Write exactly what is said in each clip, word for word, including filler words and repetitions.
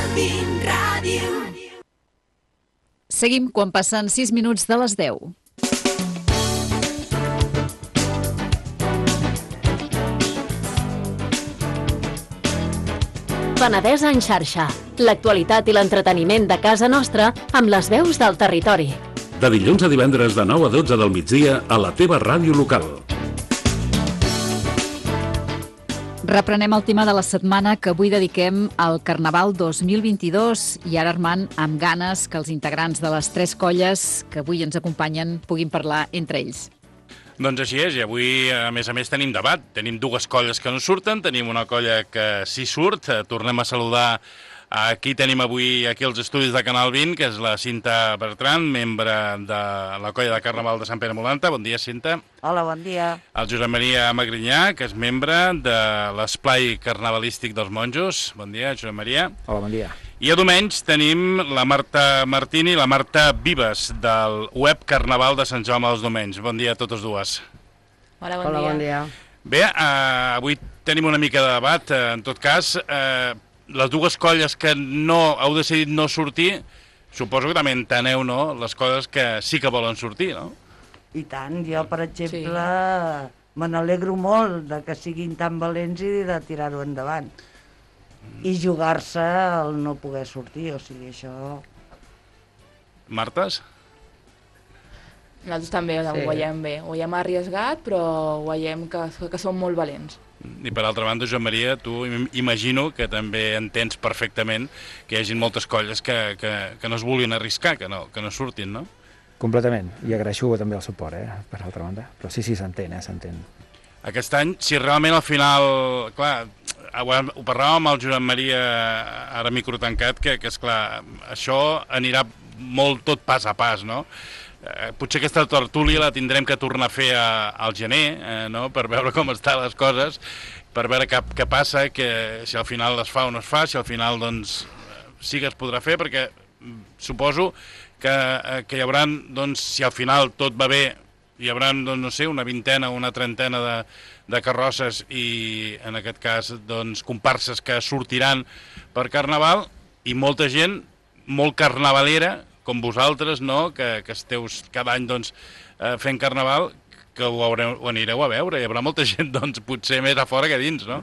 Calvin Ràdio. Seguim quan passen sis minuts de les deu. Penedès en xarxa. L'actualitat i l'entreteniment de casa nostra amb les veus del territori. De dilluns a divendres de nou a dotze del migdia a la teva ràdio local. Reprenem el tema de la setmana que avui dediquem al Carnaval dos mil vint-i-dos i ara, Armand, amb ganes que els integrants de les tres colles que avui ens acompanyen puguin parlar entre ells. Doncs així és, i avui, a més a més, tenim debat. Tenim dues colles que no surten, tenim una colla que sí surt. Tornem a saludar a qui tenim avui aquí als estudis de Canal vint, que és la Cinta Bertran, membre de la colla de Carnaval de Sant Pere Molanta. Bon dia, Cinta. Hola, bon dia. El Josep Maria Magrinyà, que és membre de l'Esplai Carnavalístic dels Monjos. Bon dia, Josep Maria. Hola, bon dia. I a diumenge tenim la Marta Martini i la Marta Vives, del web Carnaval de Sant Jaume dels Domenys. Bon dia a totes dues. Hola, bon Hola, dia. Bon dia. Bé, eh, avui tenim una mica de debat. Eh, en tot cas, eh, les dues colles que no heu decidit no sortir, suposo que també enteneu, no?, les coses que sí que volen sortir, no? I tant. Jo, per exemple, sí. me n'alegro molt de que siguin tan valents i de tirar-ho endavant. I jugar-se el no poder sortir, o sigui, això... Martes? Nosaltres també sí. ho veiem bé. Ho veiem arriesgat, però ho veiem que, que són molt valents. I per altra banda, Joan Maria, tu imagino que també entens perfectament que hi hagi moltes colles que, que, que no es vulguin arriscar, que no, que no surtin, no? Completament. I agraeixo també el suport, eh, per altra banda. Però sí, sí, s'entén, eh, s'entén. Aquest any, si realment al final... Clar, ho parlàvem amb el Josep Maria, ara micro tancat, que, que esclar, això anirà molt tot pas a pas, no? Eh, potser aquesta tertúlia la tindrem que tornar a fer a, al gener, eh, no?, per veure com estan les coses, per veure què, què passa, que si al final es fa o no es fa, si al final doncs sí que es podrà fer, perquè suposo que, eh, que hi haurà, doncs, si al final tot va bé, hi haurà, doncs, no sé, una vintena o una trentena de, de carrosses i, en aquest cas, doncs, comparses que sortiran per Carnaval i molta gent molt carnavalera, com vosaltres, no?, que, que esteu cada any, doncs, eh, fent Carnaval, que ho, haureu, ho anireu a veure. Hi haurà molta gent, doncs, potser més a fora que a dins, no?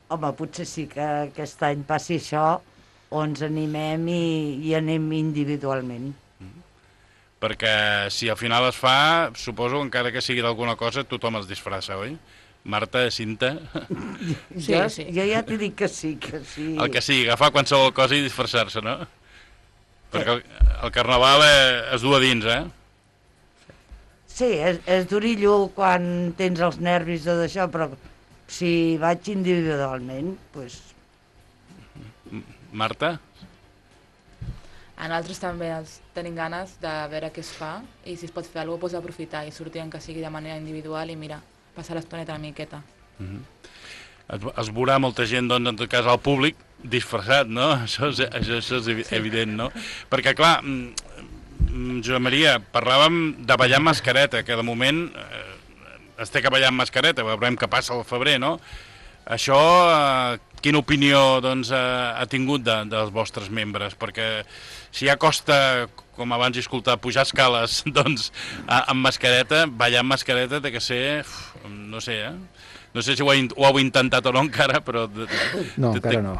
Home, potser sí que aquest any passi això, o ens animem i, i anem individualment. Perquè si al final es fa, suposo, encara que sigui d'alguna cosa, tothom es disfressa, oi? Marta, Cinta... Sí, jo, sí. Jo ja t'he dit que sí, que sí. El que sigui, agafar qualsevol cosa i disfressar-se, no? Perquè el, el Carnaval eh, es du a dins, eh? Sí, és, és durillo quan tens els nervis de d'això, però si vaig individualment, doncs... Marta? A nosaltres també tenim ganes de veure què es fa i si es pot fer alguna cosa, doncs aprofitar i sortir que sigui de manera individual i mira, passar l'estoneta una miqueta. Mm-hmm. Es, es veurà molta gent, doncs, en tot cas, al públic disfressat, no? Això és, això, això és evident, no? Perquè, clar, Josep Maria, parlàvem de ballar amb mascareta, que de moment eh, es té que ballar amb mascareta, veurem què passa al febrer, no? Això, eh, quina opinió, doncs, ha, ha tingut de, dels vostres membres? Perquè si ja costa, com abans he escoltat, pujar escales, doncs, a, amb mascareta, ballar amb mascareta té que ser, uf, no sé, eh? No sé si ho, he, ho heu intentat o no encara, però... No, encara no.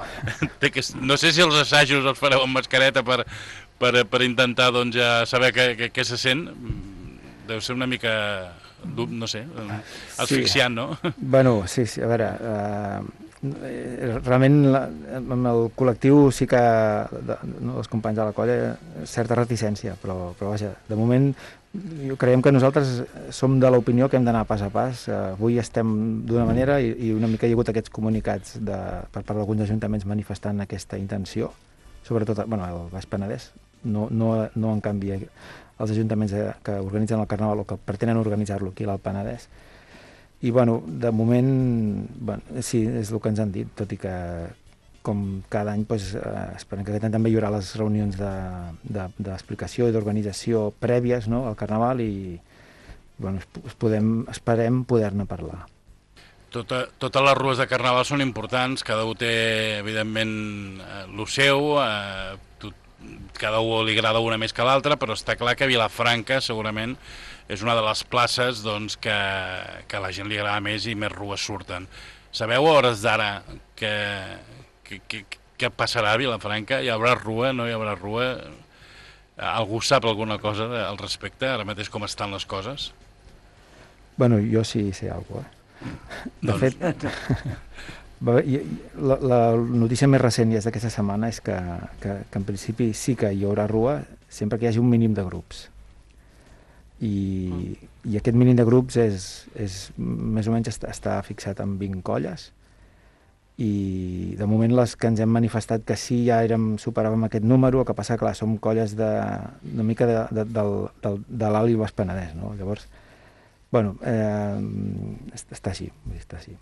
Que, no sé si els assajos els fareu amb mascareta per, per, per intentar, doncs, ja saber què, què, què se sent. Deu ser una mica, no sé, asfixiant, no? Bueno, sí, sí, a veure... Uh... Realment amb el col·lectiu sí que de, no, els companys de la colla certa reticència, però, però vaja, de moment creiem que nosaltres som de l'opinió que hem d'anar pas a pas. Avui estem d'una manera i, i una mica hi ha hagut aquests comunicats de, per part d'alguns ajuntaments manifestant aquesta intenció, sobretot bueno, el Baix Penedès, no, no, no en canvi els ajuntaments que organitzen el Carnaval o que pretenen organitzar-lo aquí al Penedès. I, bueno, de moment, bueno, sí, és el que ens han dit, tot i que, com cada any, doncs, eh, esperem que aquest any també hi haurà les reunions d'explicació de, de, i d'organització prèvies, no?, al Carnaval i, bueno, es podem, esperem poder-ne parlar. Tota, totes les rues de Carnaval són importants, cada un té, evidentment, el seu, eh, tot, cada un li agrada una més que l'altra, però està clar que Vilafranca segurament és una de les places doncs, que, que a la gent li agrada més i més rues surten. Sabeu a hores d'ara que, que, que, que passarà a Vilafranca? Hi haurà rua, no hi haurà rua? Algú sap alguna cosa al respecte, ara mateix com estan les coses? Bueno, jo sí sé alguna cosa, eh? De doncs... fet, la, la notícia més recent i és d'aquesta setmana és que, que, que en principi sí que hi haurà rua sempre que hi hagi un mínim de grups. I, i aquest mínim de grups és, és més o menys està, està fixat en vint colles, i de moment les que ens hem manifestat que sí ja érem, superàvem aquest número, el que passa, clar, som colles de, una mica de, de, del, del, de l'Alt i el Baix Penedès, no? Llavors, bueno, eh, està així, està així.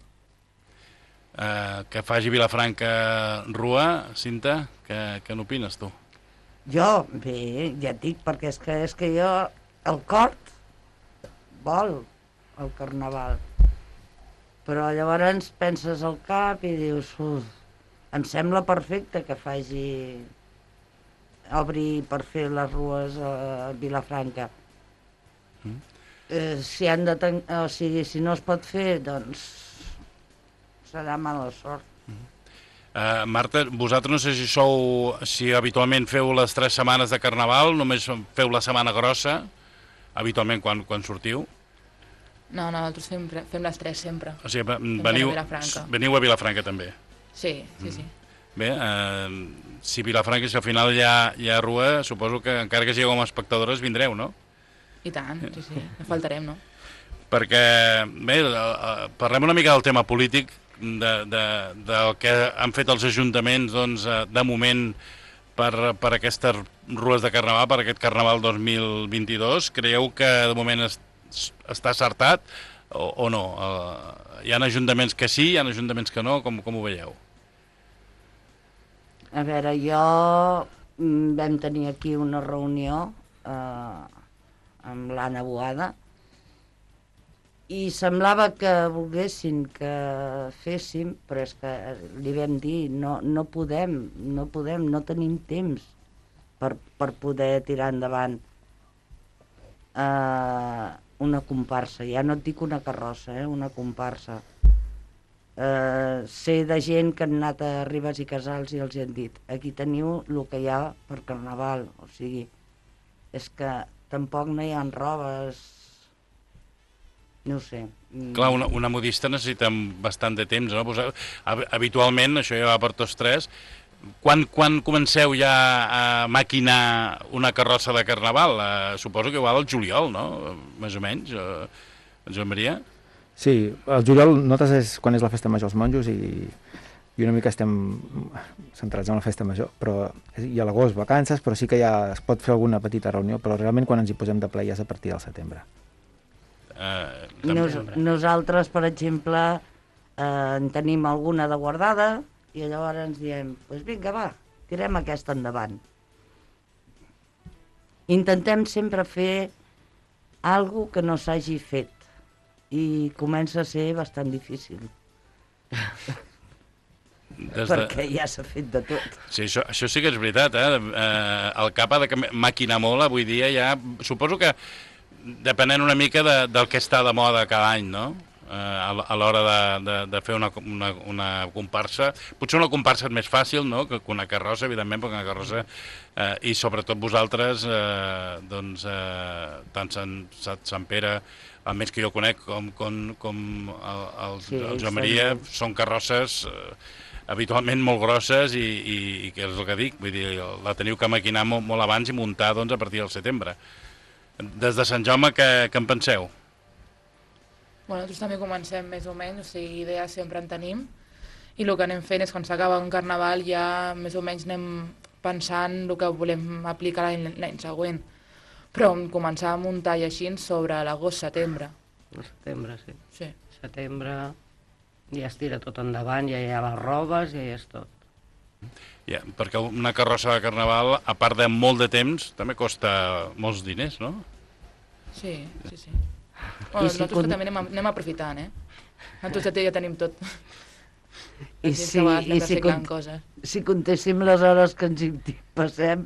Uh, que faci Vilafranca rua, Cinta, què, què n'opines tu? Jo, bé, ja et dic, perquè és que, és que jo, el cor vol el Carnaval, però llavors penses al cap i dius, uf, em sembla perfecte que faci, obri per fer les rues a Vilafranca. Mm. Eh, si han de ten... o sigui, si no es pot fer, doncs serà mala sort. Mm. Uh, Marta, vosaltres no sé si sou, si habitualment feu les tres setmanes de Carnaval, només feu la setmana grossa, habitualment quan, quan sortiu? No, no, nosaltres fem, fem les tres sempre. O sigui, veniu a, veniu a Vilafranca també? Sí, sí, sí. Mm. Bé, eh, si Vilafranca, si al final hi ha, hi ha rua, suposo que encara que sigueu com a espectadores vindreu, no? I tant, sí, sí, no faltarem, no? Perquè, bé, parlem una mica del tema polític, de, de, del que han fet els ajuntaments, doncs, de moment, per, per aquestes rues de Carnaval, per aquest Carnaval dos mil vint-i-dos. Creieu que de moment es, està acertat o, o no? Uh, hi ha ajuntaments que sí, hi ha ajuntaments que no, com, com ho veieu? A veure, jo vam tenir aquí una reunió eh, amb l'Anna Boada i semblava que volguessin que féssim, però és que li vam dir, no, no podem, no podem, no tenim temps per, per poder tirar endavant eh, una comparsa. Ja no et dic una carrossa, eh, una comparsa. Eh, sé de gent que han anat a Ribes i Casals i els han dit, aquí teniu el que hi ha per Carnaval, o sigui, és que tampoc no hi ha robes, no ho sé. Clar, una, una modista necessita bastant de temps, no? Pues, habitualment, això ja va per tots tres, quan, quan comenceu ja a maquinar una carrossa de Carnaval? Eh, suposo que igual al juliol, no? Més o menys, eh, Joan Maria? Sí, el juliol notes és quan és la festa major als monjos i, i una mica estem centrats en la festa major, però i a l'agost vacances, però sí que ja es pot fer alguna petita reunió, però realment quan ens hi posem de ple ja és a partir del setembre. Uh, Nos, nosaltres, per exemple, eh, en tenim alguna de guardada i llavors ens diem, doncs pues vinga, va, tirem aquesta endavant. Intentem sempre fer alguna que no s'hagi fet i comença a ser bastant difícil. Des de... Perquè ja s'ha fet de tot. Sí, això, això sí que és veritat, eh? eh el cap ha de maquinar molt, avui dia ja... Suposo que depenent una mica de, del que està de moda cada any, no? Eh, a, a l'hora de, de, de fer una, una, una comparsa. Potser una comparsa és més fàcil, no?, que una carrossa, evidentment, perquè una carrossa... Eh, I sobretot vosaltres, eh, doncs, eh, tant Sant, Sant Pere, almenys que jo conec, com, com, com el, el, sí, el Joan Maria, són carrosses eh, habitualment molt grosses i, i, i que és el que dic, vull dir, la teniu que maquinar molt, molt abans i muntar, doncs, a partir del setembre. Des de Sant Jaume, què, què en penseu? Bueno, nosaltres també comencem més o menys, o sigui, idees sempre en tenim, i el que anem fent és quan s'acaba un carnaval ja més o menys anem pensant el que volem aplicar l'any següent. Però començar a muntar i així sobre l'agost-setembre. El setembre, sí. Sí. Setembre ja es tira tot endavant, ja hi ha les robes, ja hi és tot. Ja, perquè una carrossa de Carnaval, a part de molt de temps, també costa molts diners, no? Sí, sí, sí. Bueno, nosaltres con... també anem, anem aprofitant, eh? Nosaltres ja tenim tot. I Així si, que vas i si, reciclant cont coses. si comptéssim les hores que ens hi passem,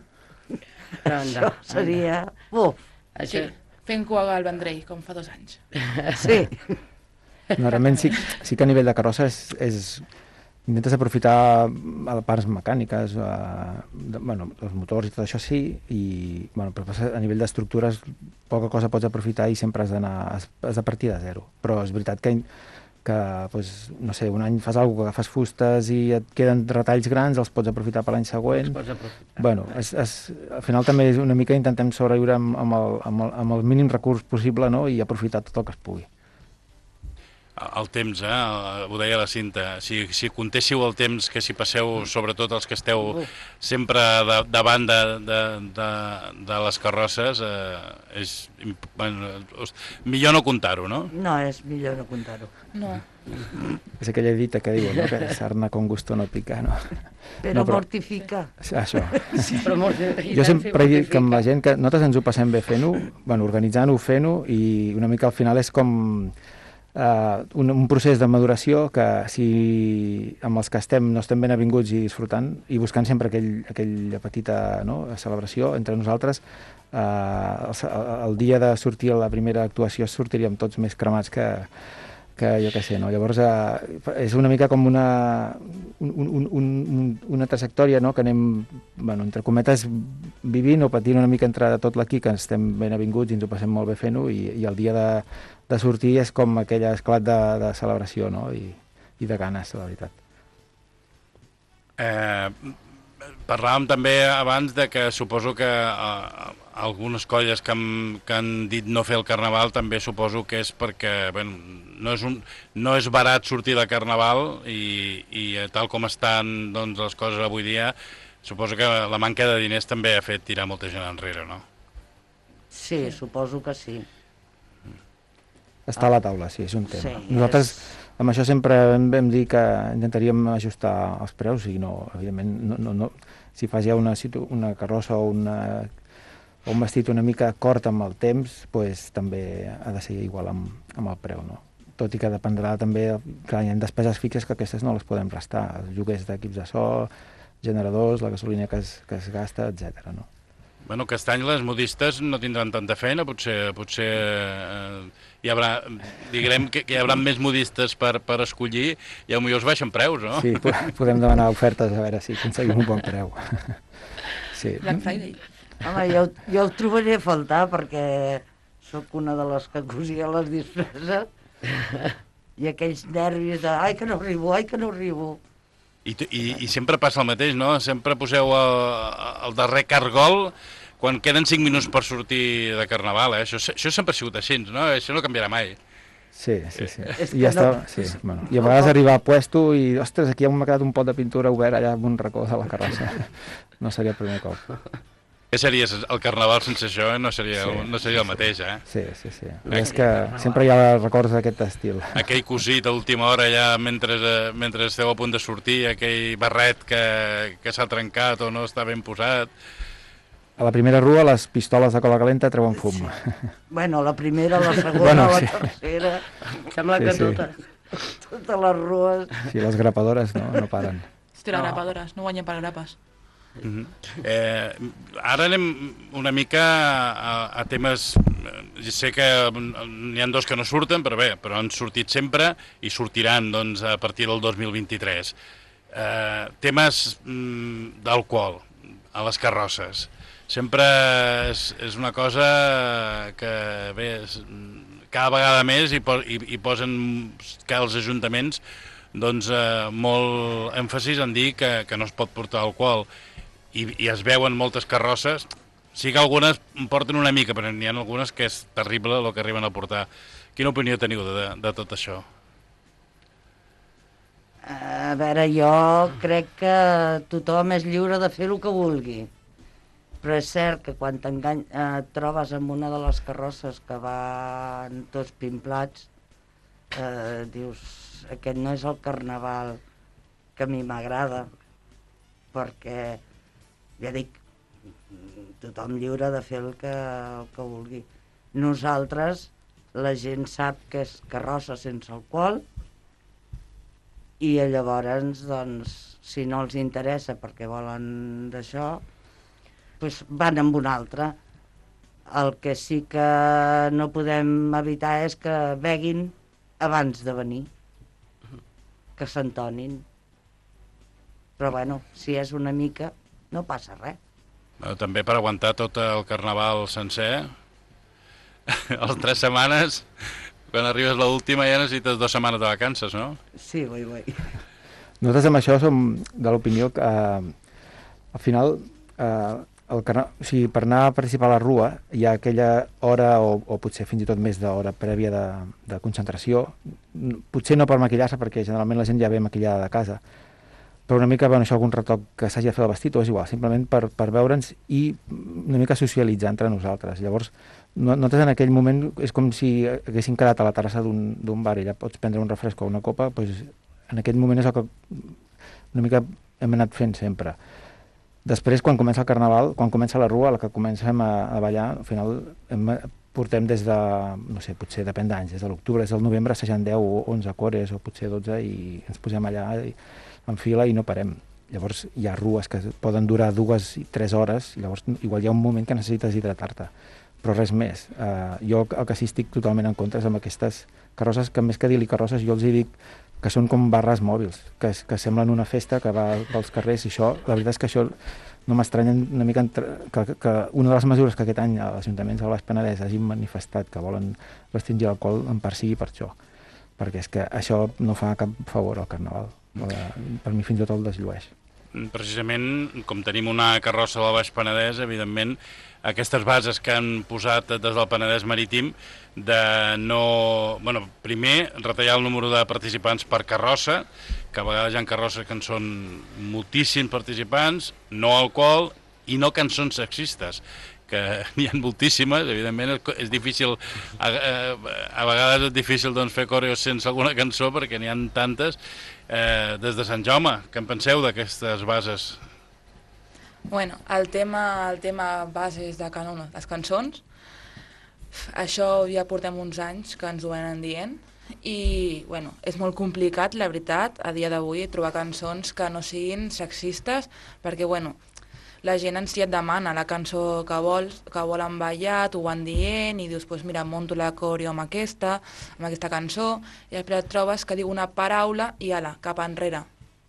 Però això anda, seria... Uf, Això... Sí, fent cua al Vendrell, com fa dos anys. sí. No, realment sí, sí que a nivell de carrossa és, és intentes aprofitar parts mecàniques, eh, de, bueno, els motors i tot això sí, i bueno, però a nivell d'estructures poca cosa pots aprofitar i sempre has d'anar, has, has de partir de zero. Però és veritat que, que pues, no sé, un any fas alguna cosa, que agafes fustes i et queden retalls grans, els pots aprofitar per l'any següent. Els pots aprofitar. Bueno, és, és, al final també és una mica intentem sobreviure amb, amb, el, amb, el, amb el mínim recurs possible, no?, i aprofitar tot el que es pugui. El temps, eh? Ho deia la Cinta. Si, si comptéssiu el temps que si passeu, sobretot els que esteu sempre de, davant de, de, de, de les carrosses, eh, és bueno, millor no comptar-ho, no? No, és millor no comptar-ho. No. És aquella dita que diuen, no?, que sarna con gusto no pica, no? Però, No, però- mortifica. Això. Però molt bé, Jo sempre he dit que amb la gent que nosaltres ens ho passem bé fent-ho, bueno, organitzant-ho, fent-ho, i una mica al final és com uh, un, un procés de maduració que si amb els que estem no estem ben avinguts i disfrutant i buscant sempre aquell, aquella petita, no?, celebració entre nosaltres, uh, el, el dia de sortir a la primera actuació sortiríem tots més cremats que, que jo què sé, no? Llavors eh, és una mica com una, un, un, un, una trajectòria, no?, que anem, bueno, entre cometes, vivint o patint una mica entre tot l'equip, que estem ben avinguts i ens ho passem molt bé fent-ho, i, i el dia de, de sortir és com aquell esclat de, de celebració, no?, i, i de ganes, la veritat. Eh, parlàvem també abans de que suposo que eh, algunes colles que han, que han dit no fer el carnaval també suposo que és perquè bueno, no, és un, no és barat sortir de carnaval i, i tal com estan doncs, les coses avui dia, suposo que la manca de diners també ha fet tirar molta gent enrere, no? Sí, suposo que sí. Està a la taula, sí, és un tema. Sí, Nosaltres és... amb això sempre vam, vam dir que intentaríem ajustar els preus i no, evidentment, no, no, no, si fas ja una, una carrossa o, una, o un vestit una mica cort amb el temps, pues, també ha de ser igual amb, amb el preu, no? Tot i que dependrà també, clar, hi ha despeses fixes que aquestes no les podem restar, els lloguers d'equips de so, generadors, la gasolina que es, que es gasta, etcètera, no? Bueno, aquest any les modistes no tindran tanta feina, potser, potser eh, hi haurà, diguem que, que hi haurà més modistes per, per escollir i potser es baixen preus, no? Sí, podem demanar ofertes a veure si aconseguim un bon preu. Sí. Black Friday. Home, jo, jo ho trobaré a faltar perquè sóc una de les que cosia les disfresses i aquells nervis de ai que no arribo, ai que no arribo. I, i, I sempre passa el mateix, no? Sempre poseu el, el darrer cargol quan queden cinc minuts per sortir de carnaval, eh? Això, això sempre ha sigut així, no? Això no canviarà mai. Sí, sí, sí. És I ja que no- està, sí. Bueno, i a vegades arribar a puesto i, ostres, aquí m'ha quedat un pot de pintura obert allà en un racó de la carrossa. No seria el primer cop. Què seria el carnaval sense això? Eh? No, seria, Sí, el, no seria el mateix, eh? Sí, sí, sí. És que sempre hi ha records d'aquest estil. Aquell cosit a última hora ja mentre, eh, mentre esteu a punt de sortir, aquell barret que, que s'ha trencat o no està ben posat. A la primera rua les pistoles de cola calenta treuen fum. Bueno, la primera, la segona, Bueno, la sí. tercera, Sembla Sí, que sí. totes. totes les rues. Sí, les grapadores no, no paren. Hòstia, les grapadores, no guanyen per grapes. Mm -hmm. eh, ara anem una mica a, a temes, eh, sé que n'hi ha dos que no surten, però bé, però han sortit sempre i sortiran doncs, a partir del dos mil vint-i-tres. Eh, temes mm, d'alcohol a les carrosses. Sempre és, és una cosa que bé, és, cada vegada més hi, po hi, hi posen que els ajuntaments doncs, eh, molt èmfasis en dir que, que no es pot portar alcohol. I, i es veuen moltes carrosses, sí que algunes en porten una mica, però n'hi ha algunes que és terrible el que arriben a portar. Quina opinió teniu de, de tot això? A veure, jo crec que tothom és lliure de fer el que vulgui, però és cert que quan t'engany- eh, et trobes amb una de les carrosses que van tots pimplats, eh, dius, aquest no és el carnaval que a mi m'agrada, perquè ja dic, tothom lliure de fer el que, el que vulgui. Nosaltres, la gent sap que és carrossa sense alcohol, I llavors, doncs, si no els interessa perquè volen d'això, doncs van amb un altre. El que sí que no podem evitar és que beguin abans de venir, que s'entonin. Però bueno, si és una mica, no passa res. Bueno, també per aguantar tot el carnaval sencer, les tres setmanes, quan arribes l'última ja necessites dues setmanes de vacances, no? Sí, ui, ui. Nosaltres amb això som de l'opinió que eh, al final eh, el carna... o sigui, per anar a participar a la rua hi ha aquella hora o, o potser fins i tot més d'hora prèvia de, de concentració, potser no per maquillar-se perquè generalment la gent ja ve maquillada de casa, però una mica, bueno, això algun retoc que s'hagi de fer el vestit o és igual, simplement per, per veure'ns i una mica socialitzar entre nosaltres. Llavors, no, nosaltres en aquell moment és com si haguéssim quedat a la terrassa d'un bar i ja pots prendre un refresc o una copa, doncs en aquest moment és el que una mica hem anat fent sempre. Després, quan comença el carnaval, quan comença la rua, la que comencem a, a ballar, al final hem, portem des de, no sé, potser depèn d'anys, des de l'octubre, des del novembre, assajant deu o onze cores o potser dotze i ens posem allà i, en fila i no parem. Llavors hi ha rues que poden durar dues i tres hores, i llavors igual hi ha un moment que necessites hidratar-te, però res més. Uh, jo el que sí estic totalment en contra és amb aquestes carrosses, que més que dir-li carrosses, jo els hi dic que són com barres mòbils, que, que semblen una festa que va pels carrers, i això, la veritat és que això no m'estranya una mica entre, que, que una de les mesures que aquest any els ajuntaments del Baix Penedès hagin manifestat que volen restringir l'alcohol en part sigui per això, perquè és que això no fa cap favor al carnaval, per mi fins i tot el desllueix. Precisament, com tenim una carrossa del Baix Penedès, evidentment, aquestes bases que han posat des del Penedès Marítim de no... Bueno, primer, retallar el número de participants per carrossa, que a vegades hi ha carrosses que en són moltíssims participants, no alcohol i no cançons sexistes, que n'hi ha moltíssimes, evidentment és difícil, a, a, a vegades és difícil doncs, fer coreos sense alguna cançó perquè n'hi ha tantes. Eh, des de Sant Jaume, què en penseu d'aquestes bases? Bueno, el tema, el tema bases de canon, les cançons, això ja portem uns anys que ens ho venen dient i bueno, és molt complicat, la veritat, a dia d'avui trobar cançons que no siguin sexistes perquè bueno, la gent ens ja et demana la cançó que vols, que volen ballar, t'ho van dient i dius, pues mira, monto la coreo amb aquesta, amb aquesta cançó, i després et trobes que diu una paraula i ala, cap enrere.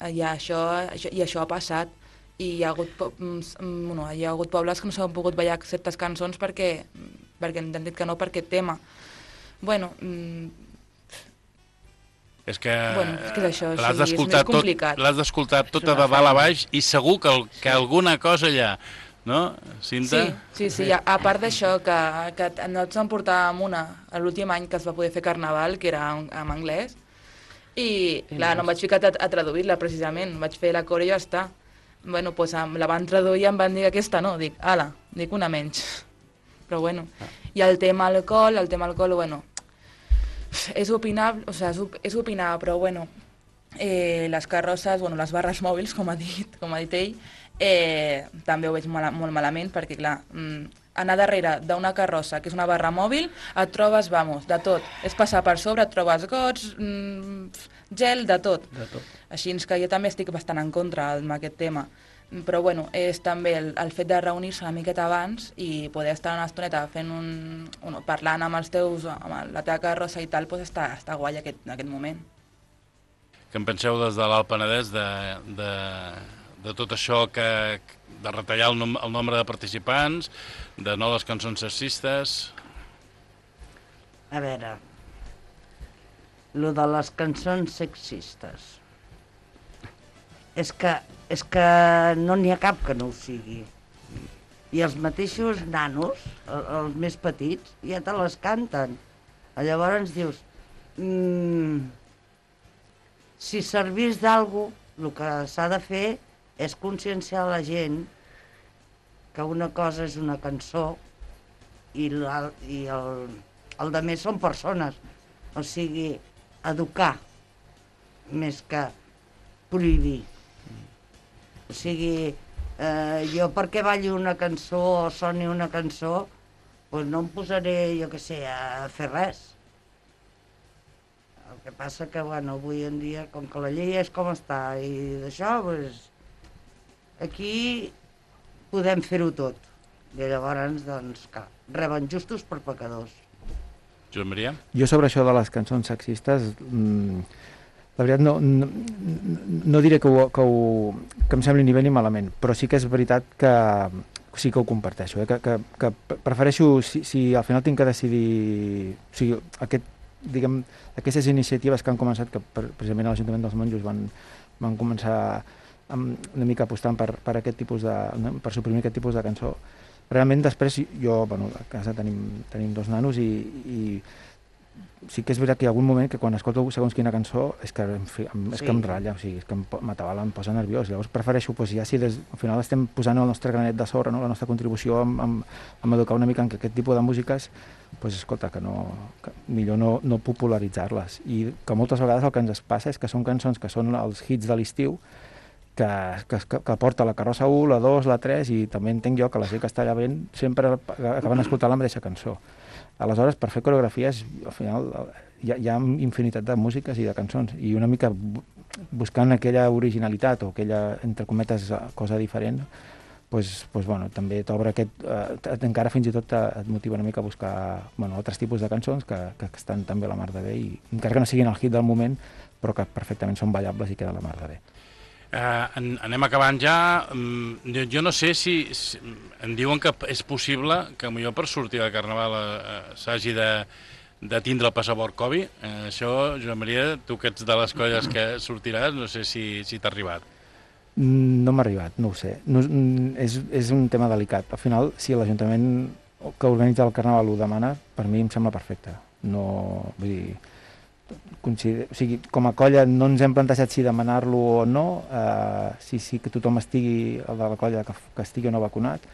I això, això, i això ha passat. I hi ha hagut, bueno, hi ha hagut pobles que no s'han pogut ballar certes cançons perquè, perquè han dit que no per aquest tema. Bueno, és que, bueno, és, que és això, l'has sí, és més complicat. L'has d'escoltar tota de dalt a baix i segur que, el, que alguna cosa hi ha, no, Cinta? Sí, sí, sí. A, a part d'això, que, que nosaltres en portàvem una l'últim any que es va poder fer carnaval, que era en, en anglès, i clar, no em vaig ficar a, a traduir-la precisament, vaig fer la core i ja està. Bueno, doncs la van traduir i em van dir que aquesta no, dic, ala, dic una menys. Però bueno, i el tema alcohol, el tema alcohol, bueno, és opinable, o sigui, és opinable, però bueno, eh, les carrosses, bueno, les barres mòbils, com ha dit, com ha dit ell, eh, també ho veig mal, molt malament, perquè clar, mm, anar darrere d'una carrossa, que és una barra mòbil, et trobes, vamos, de tot. És passar per sobre, et trobes gots, mm, gel, de tot. De tot. Així que jo també estic bastant en contra amb aquest tema. Però bueno, és també el, el fet de reunir-se una miqueta abans i poder estar una estoneta fent un, un, parlant amb els teus, amb la teva carrossa i tal, doncs està, està guai aquest, aquest moment. Què en penseu des de l'Alt Penedès de, de, de tot això que, de retallar el, nom, el nombre de participants, de no les cançons sexistes? A veure, lo de les cançons sexistes, és que, és que no n'hi ha cap que no ho sigui. I els mateixos nanos, els més petits, ja te les canten. Llavors dius, mmm, si servís d'algú, el que s'ha de fer és conscienciar la gent que una cosa és una cançó i, la, i el, el de més són persones. O sigui, educar més que prohibir. O sigui, eh, jo perquè balli una cançó o soni una cançó, doncs no em posaré, jo què sé, a fer res. que passa que, bueno, avui en dia, com que la llei és com està i d'això, doncs, aquí podem fer-ho tot. I llavors, doncs, clar, reben justos per pecadors. Josep Maria? Jo sobre això de les cançons sexistes, mmm, la veritat no, no, no diré que, ho, que, ho, que em sembli ni bé ni malament, però sí que és veritat que sí que ho comparteixo, eh? que, que, que prefereixo, si, si al final tinc que decidir, o sigui, aquest, diguem, aquestes iniciatives que han començat, que precisament a l'Ajuntament dels Monjos van, van començar amb, una mica apostant per, per aquest tipus de, per suprimir aquest tipus de cançó. Realment després jo, bueno, a casa tenim, tenim dos nanos i, i sí que és veritat que hi ha algun moment que quan escolto segons quina cançó és que, en fi, és sí. que em ratlla, o sigui, és que em, m'atabala, em posa nerviós. Llavors prefereixo, doncs, ja si des, al final estem posant el nostre granet de sorra, no? La nostra contribució amb, amb, amb educar una mica en aquest tipus de músiques, doncs escolta, que no, que millor no, no popularitzar-les. I que moltes vegades el que ens passa és que són cançons que són els hits de l'estiu, que, que, que porta la carrossa u, la dos, la tres, i també entenc jo que la gent que està allà veient sempre acaben escoltant la mateixa cançó. Aleshores, per fer coreografies, al final hi ha, hi ha infinitat de músiques i de cançons, i una mica buscant aquella originalitat o aquella, entre cometes, cosa diferent, pues, pues, bueno, també t'obre aquest... Eh, encara fins i tot et motiva una mica a buscar, bueno, altres tipus de cançons que, que estan també a la mar de bé, i encara que no siguin el hit del moment, però que perfectament són ballables i queden a la mar de bé. Uh, en, anem acabant ja. Um, jo, jo no sé si, si em diuen que és possible que potser per sortir de Carnaval uh, s'hagi de, de tindre el passaport Covid. Uh, això, Josep Maria, tu que ets de les colles que sortiràs, no sé si, si t'ha arribat. No m'ha arribat, no ho sé. No, és, és un tema delicat. Al final, si l'Ajuntament que organitza el Carnaval ho demana, per mi em sembla perfecte. No, vull dir... Consider... O sigui, com a colla no ens hem plantejat si demanar-lo o no, eh, si sí si que tothom estigui, el de la colla que, que estigui o no vacunat,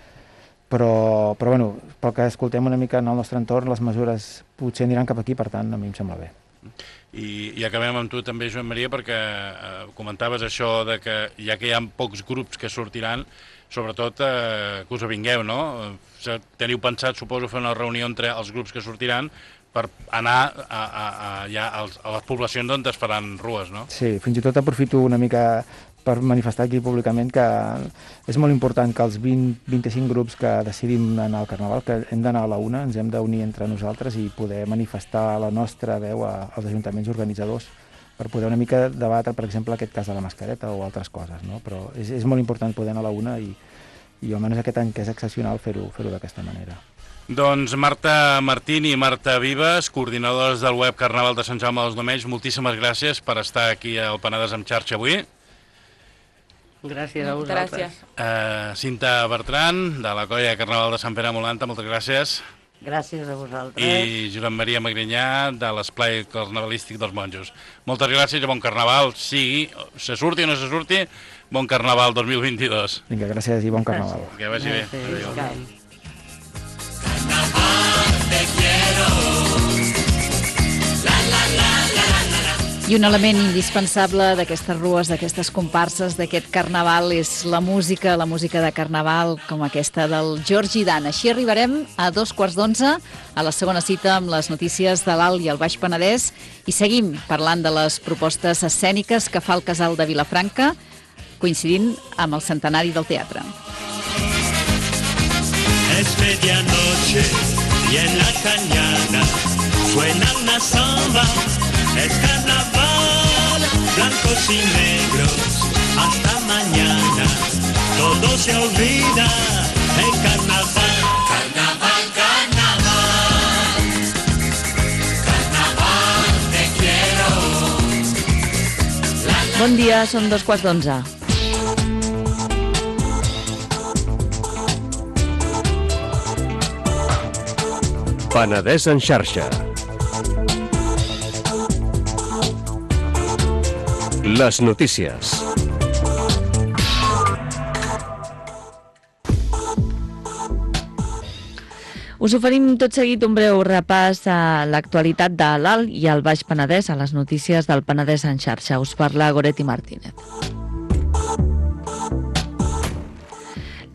però, però bueno, pel que escoltem una mica en el nostre entorn, les mesures potser aniran cap aquí, per tant, a mi em sembla bé. I, i acabem amb tu també, Joan Maria, perquè eh, comentaves això de que ja que hi ha pocs grups que sortiran, sobretot eh, que us avingueu, no? Teniu pensat, suposo, fer una reunió entre els grups que sortiran per anar a, a, a, ja a les poblacions on es faran rues, no? Sí, fins i tot aprofito una mica per manifestar aquí públicament que és molt important que els vint a vint-i-cinc grups que decidim anar al Carnaval, que hem d'anar a la una, ens hem d'unir entre nosaltres i poder manifestar la nostra veu a, als ajuntaments organitzadors per poder una mica debatre, per exemple, aquest cas de la mascareta o altres coses, no? Però és, és molt important poder anar a la una i, i almenys aquest any que és excepcional fer-ho fer-ho d'aquesta manera. Doncs Marta Martín i Marta Vives, coordinadors del web Carnaval de Sant Jaume dels Domenys, moltíssimes gràcies per estar aquí al Penedès en xarxa avui. Gràcies a vosaltres. Gràcies. Uh, Cinta Bertran, de la colla Carnaval de Sant Pere Molanta, moltes gràcies. Gràcies a vosaltres. I Josep Maria Magrinyà, de l'esplai carnavalístic dels Monjos. Moltes gràcies i bon Carnaval, sigui, se surti o no se surti, bon Carnaval dos mil vint-i-dos. Vinga, gràcies i bon Carnaval. Que vagi bé. Gràcies. Adéu. I un element indispensable d'aquestes rues, d'aquestes comparses, d'aquest carnaval és la música, la música de carnaval com aquesta del Georgi Dan. Així arribarem a dos quarts d'onze, a la segona cita amb les notícies de l'Alt i el Baix Penedès, i seguim parlant de les propostes escèniques que fa el Casal de Vilafranca, coincidint amb el centenari del teatre. Es medianoche y en la cañada suena una samba. Es carnaval, blancos y negros, hasta mañana. Todo se olvida en carnaval. Carnaval, carnaval. Carnaval, te quiero. La, la, Bon dia, són dos quarts d'onze. Penedès en xarxa. Les notícies. Us oferim tot seguit un breu repàs a l'actualitat de l'Alt i el Baix Penedès, a les notícies del Penedès en xarxa. Us parla Goretti Martínez.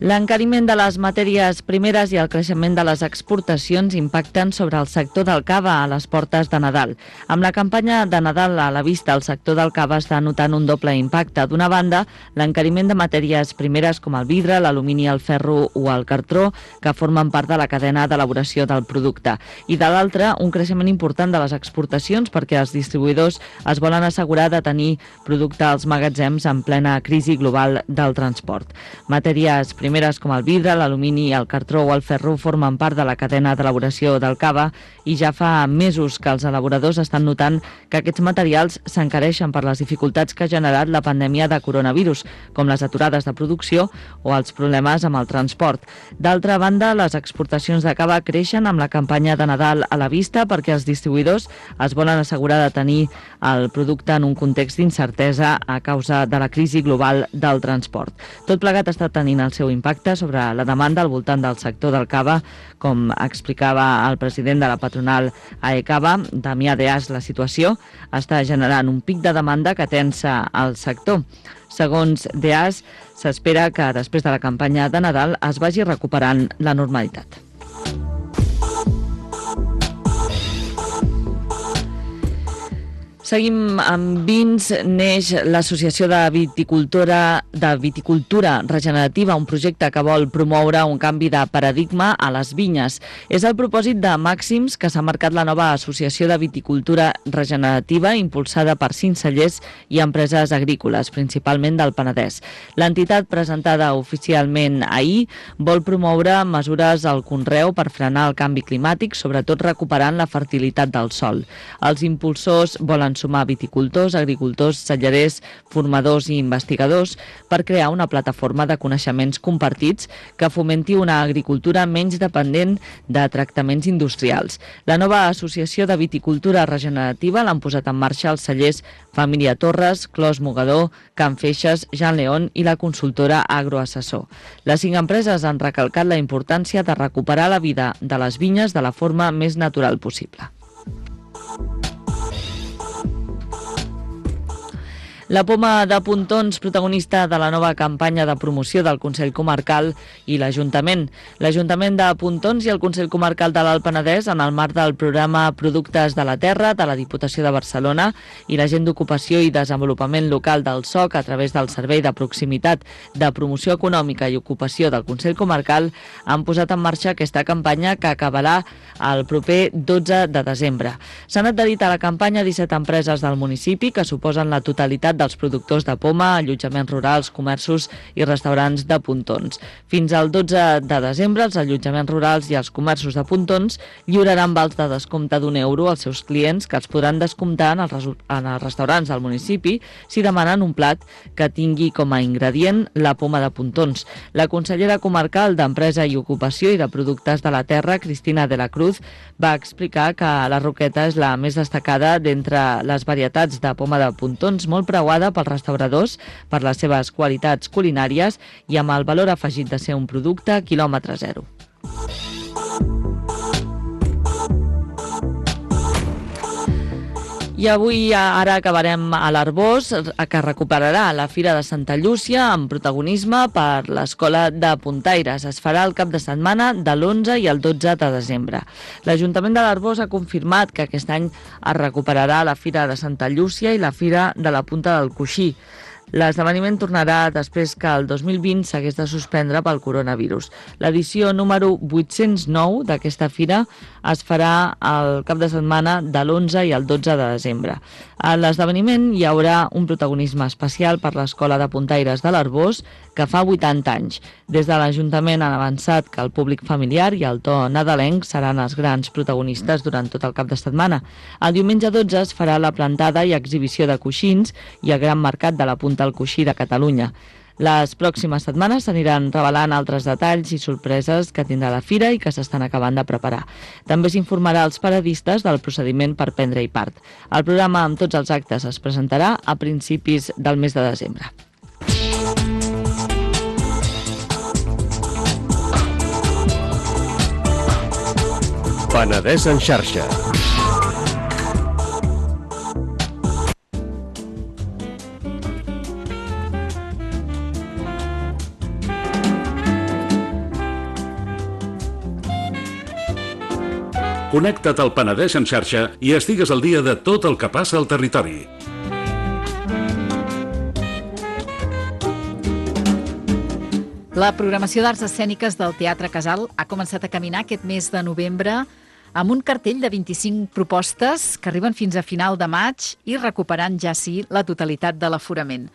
L'encariment de les matèries primeres i el creixement de les exportacions impacten sobre el sector del cava a les portes de Nadal. Amb la campanya de Nadal a la vista, el sector del cava està notant un doble impacte. D'una banda, l'encariment de matèries primeres com el vidre, l'alumini, el ferro o el cartró, que formen part de la cadena d'elaboració del producte. I de l'altra, un creixement important de les exportacions perquè els distribuïdors es volen assegurar de tenir producte als magatzems en plena crisi global del transport. Matèries primeres com el vidre, l'alumini, el cartró o el ferro formen part de la cadena d'elaboració del cava i ja fa mesos que els elaboradors estan notant que aquests materials s'encareixen per les dificultats que ha generat la pandèmia de coronavirus, com les aturades de producció o els problemes amb el transport. D'altra banda, les exportacions de cava creixen amb la campanya de Nadal a la vista perquè els distribuïdors es volen assegurar de tenir el producte en un context d'incertesa a causa de la crisi global del transport. Tot plegat està tenint el seu impacte sobre la demanda al voltant del sector del cava, com explicava el president de la patronal AECAVA, Damià Deas. La situació està generant un pic de demanda que tensa el sector. Segons Deas, s'espera que després de la campanya de Nadal es vagi recuperant la normalitat. Seguim amb vins. Neix l'Associació de Viticultura, de Viticultura Regenerativa, un projecte que vol promoure un canvi de paradigma a les vinyes. És el propòsit de màxims que s'ha marcat la nova Associació de Viticultura Regenerativa, impulsada per cinc cellers i empreses agrícoles, principalment del Penedès. L'entitat, presentada oficialment ahir, vol promoure mesures al conreu per frenar el canvi climàtic, sobretot recuperant la fertilitat del sòl. Els impulsors volen sumar viticultors, agricultors, cellerers, formadors i investigadors per crear una plataforma de coneixements compartits que fomenti una agricultura menys dependent de tractaments industrials. La nova Associació de Viticultura Regenerativa l'han posat en marxa els cellers Família Torres, Clos Mogador, Can Feixes, Jean León i la consultora Agroassessor. Les cinc empreses han recalcat la importància de recuperar la vida de les vinyes de la forma més natural possible. La Poma de Pontons, protagonista de la nova campanya de promoció del Consell Comarcal i l'Ajuntament. L'Ajuntament de Pontons i el Consell Comarcal de l'Alt Penedès, en el marc del programa Productes de la Terra de la Diputació de Barcelona i l'Agent d'Ocupació i Desenvolupament Local del S O C, a través del Servei de Proximitat de Promoció Econòmica i Ocupació del Consell Comarcal, han posat en marxa aquesta campanya que acabarà el proper dotze de desembre. S'han adherit a la campanya disset empreses del municipi que suposen la totalitat dels productors de poma, allotjaments rurals, comerços i restaurants de Pontons. Fins al dotze de desembre, els allotjaments rurals i els comerços de Pontons lliuraran vals de descompte d'un euro als seus clients que els podran descomptar en els, en els restaurants del municipi si demanen un plat que tingui com a ingredient la poma de Pontons. La consellera comarcal d'Empresa i Ocupació i de Productes de la Terra, Cristina de la Cruz, va explicar que la roqueta és la més destacada d'entre les varietats de poma de Pontons, molt preuada pels restauradors per les seves qualitats culinàries i amb el valor afegit de ser un producte quilòmetre zero. I avui ara acabarem a l'Arbós, que recuperarà la Fira de Santa Llúcia amb protagonisme per l'Escola de Puntaires. Es farà el cap de setmana de l'onze i el dotze de desembre. L'Ajuntament de l'Arbós ha confirmat que aquest any es recuperarà la Fira de Santa Llúcia i la Fira de la Punta del Coixí. L'esdeveniment tornarà després que el dos mil vint s'hagués de suspendre pel coronavirus. L'edició número vuit-cents nou d'aquesta fira es farà el cap de setmana de l'onze i el dotze de desembre. A l'esdeveniment hi haurà un protagonisme especial per l'Escola de Puntaires de l'Arbós, que fa vuitanta anys. Des de l'Ajuntament han avançat que el públic familiar i el to nadalenc seran els grans protagonistes durant tot el cap de setmana. El diumenge dotze es farà la plantada i exhibició de coixins i el gran mercat de la Punta al Coixí de Catalunya. Les pròximes setmanes s'aniran revelant altres detalls i sorpreses que tindrà la fira i que s'estan acabant de preparar. També s'informarà als paradistes del procediment per prendre-hi part. El programa amb tots els actes es presentarà a principis del mes de desembre. Penedès en xarxa. Connecta't al Penedès en xarxa i estigues al dia de tot el que passa al territori. La programació d'arts escèniques del Teatre Casal ha començat a caminar aquest mes de novembre amb un cartell de vint-i-cinc propostes que arriben fins a final de maig i recuperant ja sí la totalitat de l'aforament.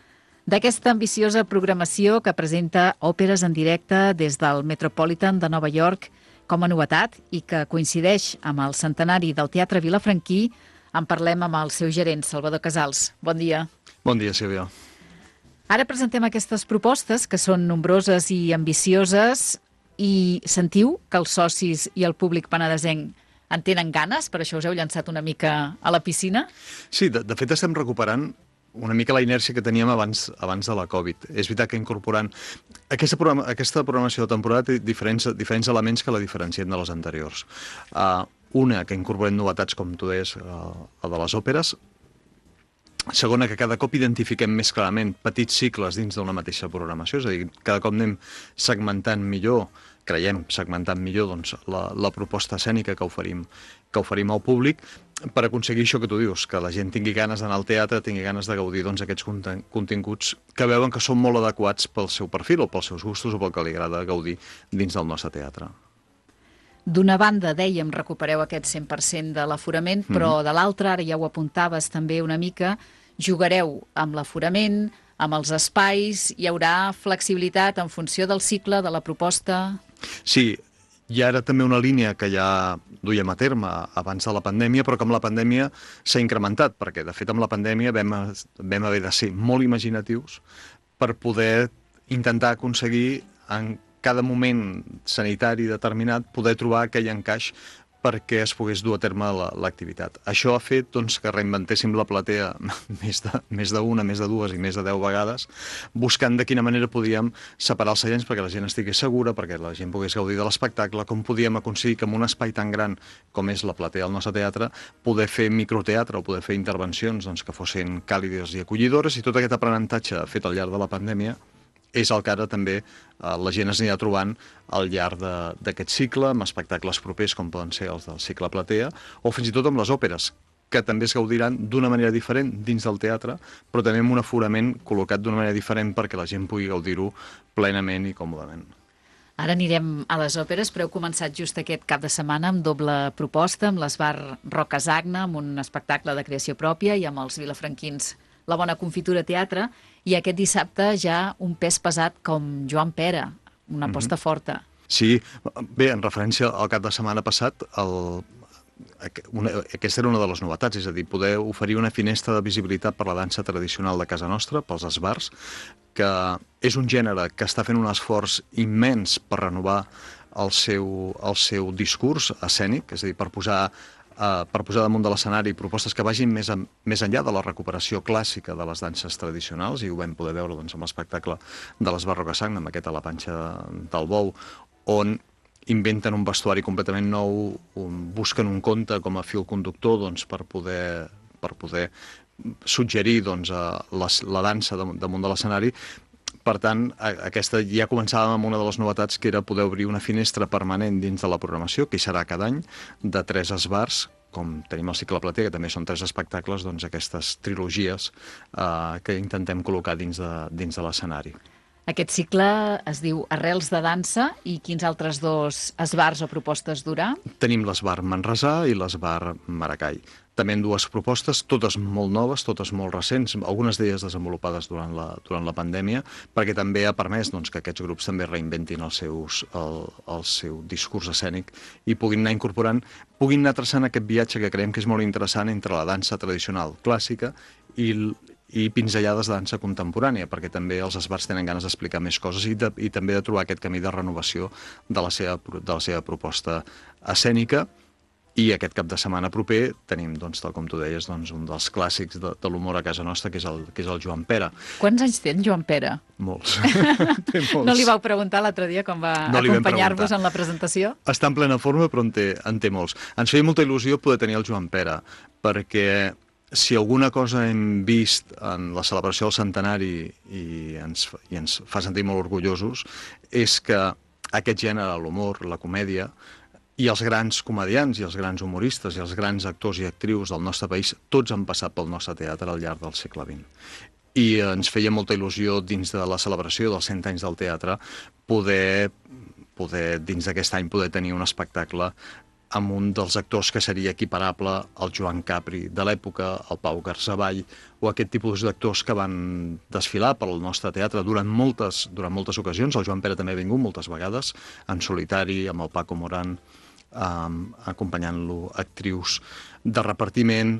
D'aquesta ambiciosa programació que presenta òperes en directe des del Metropolitan de Nova York com a novetat i que coincideix amb el centenari del Teatre Vilafranquí, en parlem amb el seu gerent, Salvador Casals. Bon dia. Bon dia, Sílvia. Ara presentem aquestes propostes, que són nombroses i ambicioses, i sentiu que els socis i el públic penedesenc en tenen ganes? Per això us heu llançat una mica a la piscina? Sí, de, de fet estem recuperant una mica la inèrcia que teníem abans, abans de la Covid. És veritat que incorporant... Aquesta, programa, aquesta programació de temporada té diferents, diferents elements que la diferencien de les anteriors. Uh, una, que incorporem novetats, com tu deies, uh, la de les òperes. Segona, que cada cop identifiquem més clarament petits cicles dins d'una mateixa programació, és a dir, cada cop anem segmentant millor, creiem segmentant millor doncs, la, la proposta escènica que oferim, que oferim al públic, per aconseguir això que tu dius, que la gent tingui ganes d'anar al teatre, tingui ganes de gaudir doncs, aquests continguts que veuen que són molt adequats pel seu perfil o pels seus gustos o pel que li agrada gaudir dins del nostre teatre. D'una banda, dèiem, recupereu aquest cent per cent de l'aforament, però Mhm. de l'altra, ara ja ho apuntaves també una mica, jugareu amb l'aforament, amb els espais, hi haurà flexibilitat en funció del cicle, de la proposta... Sí, hi ha ara també una línia que ja duíem a terme abans de la pandèmia, però que amb la pandèmia s'ha incrementat, perquè de fet amb la pandèmia vam, vam haver de ser molt imaginatius per poder intentar aconseguir en cada moment sanitari determinat poder trobar aquell encaix perquè es pogués dur a terme l'activitat. Això ha fet doncs, que reinventéssim la platea més de, més d'una, més de dues i més de deu vegades, buscant de quina manera podíem separar els seients perquè la gent estigués segura, perquè la gent pogués gaudir de l'espectacle, com podíem aconseguir que en un espai tan gran com és la platea del nostre teatre, poder fer microteatre o poder fer intervencions doncs, que fossin càlides i acollidores, i tot aquest aprenentatge fet al llarg de la pandèmia és el que ara també eh, la gent es anirà trobant al llarg d'aquest cicle, amb espectacles propers com poden ser els del cicle Platea, o fins i tot amb les òperes, que també es gaudiran d'una manera diferent dins del teatre, però també amb un aforament col·locat d'una manera diferent perquè la gent pugui gaudir-ho plenament i còmodament. Ara anirem a les òperes, però heu començat just aquest cap de setmana amb doble proposta, amb l'Esbar Rocasagna, amb un espectacle de creació pròpia, i amb els vilafranquins La Bona Confitura Teatre, i aquest dissabte ja un pes pesat com Joan Pera, una aposta Mhm. forta. Sí, bé, en referència al cap de setmana passat, el, una, aquesta era una de les novetats, és a dir, poder oferir una finestra de visibilitat per la dansa tradicional de casa nostra, pels esbars, que és un gènere que està fent un esforç immens per renovar el seu, el seu discurs escènic, és a dir, per posar Uh, per posar damunt de l'escenari propostes que vagin més, en, més enllà de la recuperació clàssica de les danses tradicionals, i ho vam poder veure doncs, amb l'espectacle de l'Esbar Rocasagna, amb aquest a la panxa del bou, on inventen un vestuari completament nou, un, busquen un conte com a fil conductor doncs, per, poder, per poder suggerir doncs, uh, les, la dansa damunt de l'escenari. Per tant, aquesta ja començàvem amb una de les novetats, que era poder obrir una finestra permanent dins de la programació, que hi serà cada any, de tres esbars, com tenim el cicle Platea, que també són tres espectacles, doncs aquestes trilogies eh, que intentem col·locar dins de, dins de l'escenari. Aquest cicle es diu Arrels de dansa, i quins altres dos esbars o propostes durà? Tenim l'esbar Manresà i l'esbar Maracai. També en dues propostes, totes molt noves, totes molt recents, algunes d'elles desenvolupades durant la, durant la pandèmia, perquè també ha permès doncs, que aquests grups també reinventin els seus, el, el seu discurs escènic i puguin anar incorporant, puguin anar traçant aquest viatge que creiem que és molt interessant entre la dansa tradicional clàssica i, i pinzellades de dansa contemporània, perquè també els esbars tenen ganes d'explicar més coses i, de, i també de trobar aquest camí de renovació de la seva, de la seva proposta escènica. I aquest cap de setmana proper tenim, doncs, tal com tu deies, doncs, un dels clàssics de, de l'humor a casa nostra, que és, el, que és el Joan Pera. Quants anys té en Joan Pera? Molts. Té molts. No li vau preguntar l'altre dia quan va No li vam acompanyar-vos preguntar. en la presentació? Està en plena forma, però en té, en té molts. Ens feia molta il·lusió poder tenir el Joan Pera, perquè si alguna cosa hem vist en la celebració del centenari i ens, i ens fa sentir molt orgullosos, és que aquest gènere, l'humor, la comèdia, I els grans comediants i els grans humoristes i els grans actors i actrius del nostre país, tots han passat pel nostre teatre al llarg del segle vint. I ens feia molta il·lusió, dins de la celebració dels cent anys del teatre, poder, poder dins d'aquest any, poder tenir un espectacle amb un dels actors que seria equiparable al Joan Capri de l'època, al Pau Garzaball, o aquest tipus d'actors que van desfilar pel nostre teatre durant moltes, durant moltes ocasions. El Joan Pere també ha vingut moltes vegades, en solitari, amb el Paco Morán, um, acompanyant-lo actrius de repartiment.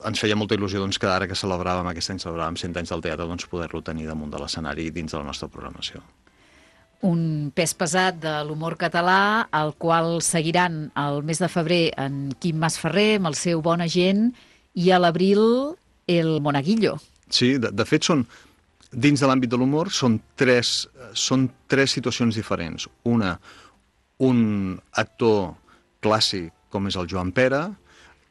Ens feia molta il·lusió doncs, que ara que celebràvem, aquest any celebràvem cent anys del teatre, doncs, poder-lo tenir damunt de l'escenari dins de la nostra programació. Un pes pesat de l'humor català, el qual seguiran el mes de febrer en Quim Masferrer, amb el seu Bona Gent, i a l'abril el Monaguillo. Sí, de, de fet, són, dins de l'àmbit de l'humor, són tres, són tres situacions diferents. Una, un actor clàssic com és el Joan Pere,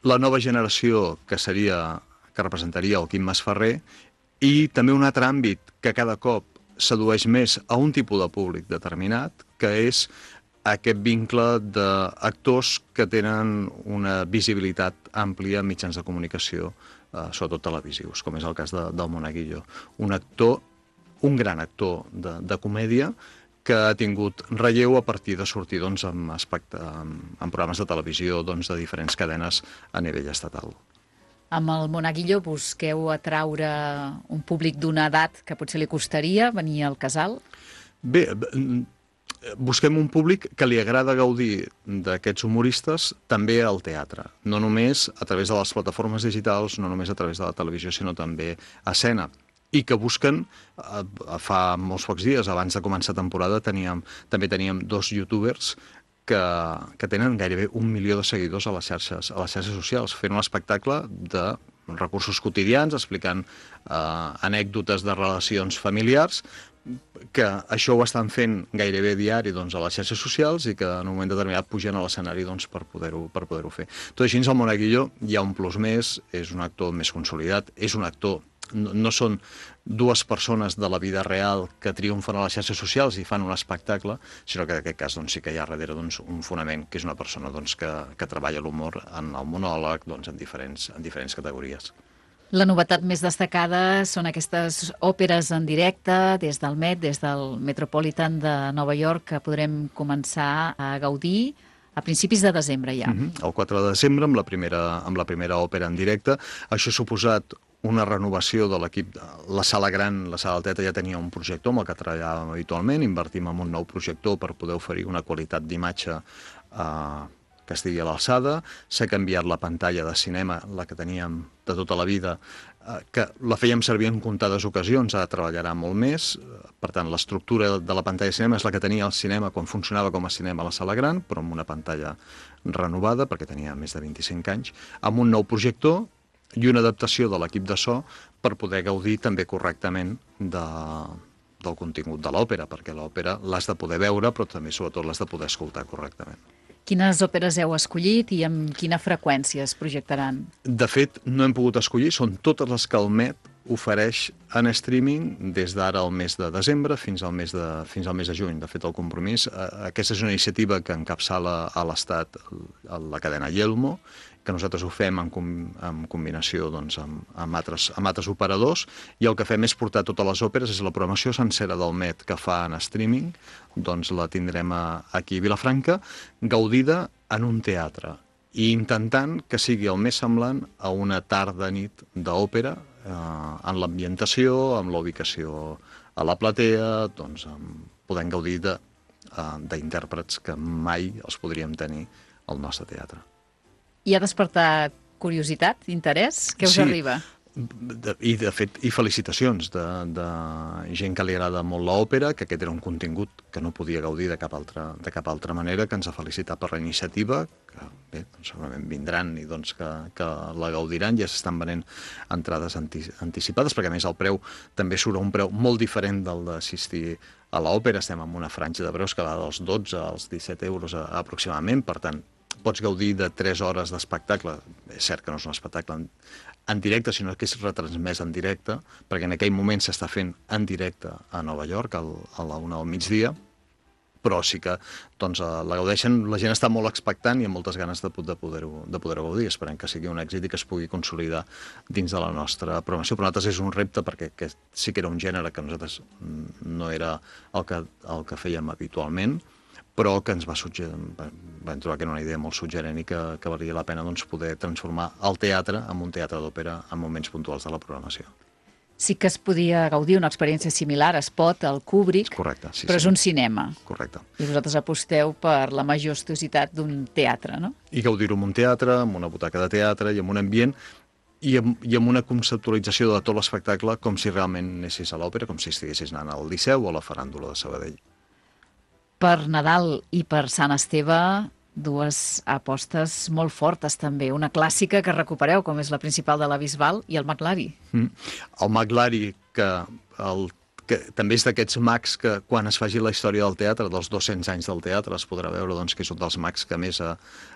la nova generació que seria, que representaria el Quim Masferrer, i també un altre àmbit que cada cop sedueix més a un tipus de públic determinat, que és aquest vincle d'actors que tenen una visibilitat àmplia en mitjans de comunicació, eh, sobretot televisius, com és el cas de, del Monaguillo. Un actor, un gran actor de, de comèdia, que ha tingut relleu a partir de sortir doncs, en, aspecte, en, en programes de televisió doncs, de diferents cadenes a nivell estatal. Amb el Monaguillo busqueu atraure un públic d'una edat que potser li costaria venir al casal? Bé, busquem un públic que li agrada gaudir d'aquests humoristes també al teatre. No només a través de les plataformes digitals, no només a través de la televisió, sinó també a escena. I que busquen, fa molts pocs dies, abans de començar temporada, teníem, també teníem dos youtubers que, que tenen gairebé un milió de seguidors a les xarxes, a les xarxes socials, fent un espectacle de recursos quotidians, explicant eh, anècdotes de relacions familiars, que això ho estan fent gairebé diari doncs, a les xarxes socials i que en un moment determinat pugen a l'escenari doncs, per poder-ho per poder-ho fer. Tot així, el Monaguillo hi ha un plus més, és un actor més consolidat, és un actor, no, no són dues persones de la vida real que triomfen a les xarxes socials i fan un espectacle, sinó que en aquest cas doncs, sí que hi ha darrere doncs, un fonament, que és una persona doncs, que, que treballa l'humor en el monòleg doncs, en, diferents, en diferents categories. La novetat més destacada són aquestes òperes en directe des del Met, des del Metropolitan de Nova York, que podrem començar a gaudir a principis de desembre ja. Mm-hmm. El quatre de desembre, amb la primera, amb la primera òpera en directe. Això ha suposat una renovació de l'equip. La sala gran, la sala del teatre, ja tenia un projector amb el que treballàvem habitualment. Invertim en un nou projector per poder oferir una qualitat d'imatge eh, que estigui a l'alçada. S'ha canviat la pantalla de cinema, la que teníem de tota la vida, eh, que la fèiem servir en comptades ocasions, ara treballarà molt més. Per tant, l'estructura de la pantalla de cinema és la que tenia el cinema quan funcionava com a cinema a la sala gran, però amb una pantalla renovada, perquè tenia més de vint-i-cinc anys, amb un nou projector i una adaptació de l'equip de so per poder gaudir també correctament de, del contingut de l'òpera, perquè l'òpera l'has de poder veure, però també, sobretot, l'has de poder escoltar correctament. Quines òperes heu escollit i amb quina freqüència es projectaran? De fet, no hem pogut escollir, són totes les que el Met ofereix en streaming des d'ara al mes de desembre fins al mes de, fins al mes de juny. De fet, el compromís, aquesta és una iniciativa que encapçala a l'Estat la cadena Yelmo, que nosaltres ho fem en, com, en combinació doncs, amb, amb, altres, amb altres operadors, i el que fem és portar totes les òperes, és la programació sencera del Met que fa en streaming, doncs la tindrem a, aquí a Vilafranca, gaudida en un teatre, i intentant que sigui el més semblant a una tarda-nit d'òpera, eh, en l'ambientació, amb la ubicació a la platea, doncs, amb, podent gaudir d'intèrprets que mai els podríem tenir al nostre teatre. I ha despertat curiositat, interès? Què us sí, arriba? De, I, de fet, i felicitacions de, de gent que li agrada molt l'òpera, que aquest era un contingut que no podia gaudir de cap altra, de cap altra manera, que ens ha felicitat per la iniciativa, que bé, doncs, segurament vindran i doncs, que, que la gaudiran. Ja s'estan venent entrades anti, anticipades, perquè a més el preu també surt a un preu molt diferent del d'assistir a l'òpera. Estem en una franja de preus que va dels dotze als disset euros a, aproximadament, per tant, pots gaudir de tres hores d'espectacle. És cert que no és un espectacle en, en directe, sinó que és retransmès en directe, perquè en aquell moment s'està fent en directe a Nova York, al, a la una del migdia, però sí que doncs, la gaudeixen, la gent està molt expectant i amb moltes ganes de, de poder-ho de poder gaudir. Esperem que sigui un èxit i que es pugui consolidar dins de la nostra programació. Per nosaltres és un repte perquè que sí que era un gènere que nosaltres no era el que, el que fèiem habitualment, però que ens va suggerir, vam trobar que era una idea molt suggerent i que, que valia la pena doncs, poder transformar el teatre en un teatre d'òpera en moments puntuals de la programació. Sí que es podia gaudir una experiència similar, es pot, al Kubrick, correcte, sí, però sí. és un cinema. Correcte. I vosaltres aposteu per la majestuositat d'un teatre, no? I gaudir-ho en un teatre, amb una butaca de teatre i amb un ambient i amb, i amb una conceptualització de tot l'espectacle com si realment anessis a l'òpera, com si estiguessis anant al Liceu o a la Faràndula de Sabadell. Per Nadal i per Sant Esteve, dues apostes molt fortes també. Una clàssica que recupereu, com és la principal de la Bisbal, i el Maglari. Mm. El Maglari, que, el, que també és d'aquests mags que quan es faci la història del teatre, dels dos-cents anys del teatre, es podrà veure doncs, que és un dels mags que més ha,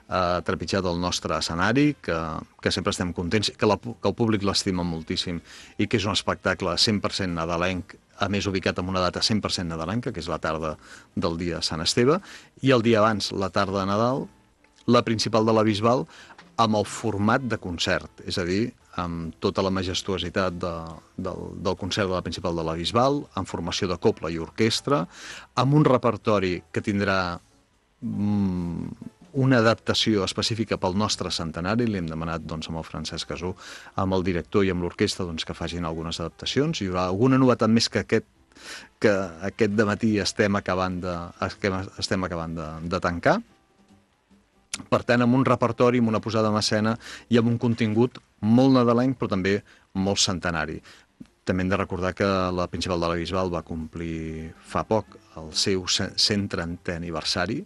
ha trepitjat el nostre escenari, que, que sempre estem contents, que, la, que el públic l'estima moltíssim i que és un espectacle cent per cent nadalenc, a més ubicat en una data cent per cent nadalenca, que és la tarda del dia de Sant Esteve, i el dia abans, la tarda de Nadal, la principal de la Bisbal, amb el format de concert, és a dir, amb tota la majestuositat de, del, del concert de la principal de la Bisbal, en formació de cobla i orquestra, amb un repertori que tindrà mm, una adaptació específica pel nostre centenari. Li hem demanat doncs, amb el Francesc Casú, amb el director i amb l'orquestra doncs, que facin algunes adaptacions. Hi haurà alguna novetat més que aquest, que aquest dematí estem acabant de, estem acabant de, de tancar. Per tant, amb un repertori, amb una posada en escena i amb un contingut molt nadalenc, però també molt centenari. També hem de recordar que la principal de la Bisbal va complir fa poc el seu cent trentè aniversari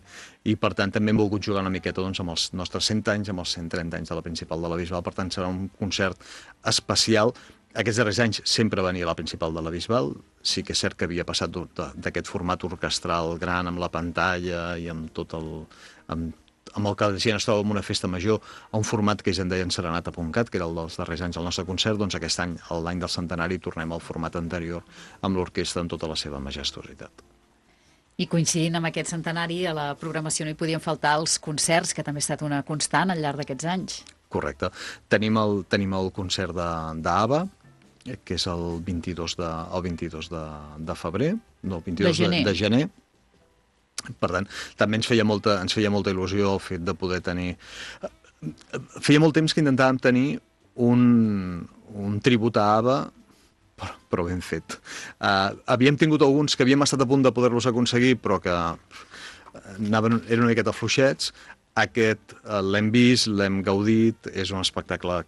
i, per tant, també hem volgut jugar una miqueta doncs, amb els nostres cent anys, amb els cent trenta anys de la principal de la Bisbal. Per tant, serà un concert especial. Aquests darrers anys sempre venia la principal de la Bisbal. Sí que és cert que havia passat d'aquest format orquestral gran amb la pantalla i amb tot el... amb amb el que la gent es troba en una festa major, a un format que ells en deien Serenata punt cat, que era el dels darrers anys del nostre concert, doncs aquest any, l'any del centenari, tornem al format anterior amb l'orquestra en tota la seva majestuositat. I coincidint amb aquest centenari, a la programació no hi podien faltar els concerts, que també ha estat una constant al llarg d'aquests anys. Correcte. Tenim el, tenim el concert d'ABBA, que és el vint-i-dos de, el vint-i-dos de, de febrer, no, el vint-i-dos de gener. De, de gener. Per tant, també ens feia, molta, ens feia molta il·lusió el fet de poder tenir... Feia molt temps que intentàvem tenir un, un tribut a ABBA, però, però ben fet. Uh, havíem tingut alguns que havíem estat a punt de poder-los aconseguir, però que anaven, eren una miqueta fluixets. Aquest uh, l'hem vist, l'hem gaudit, és un espectacle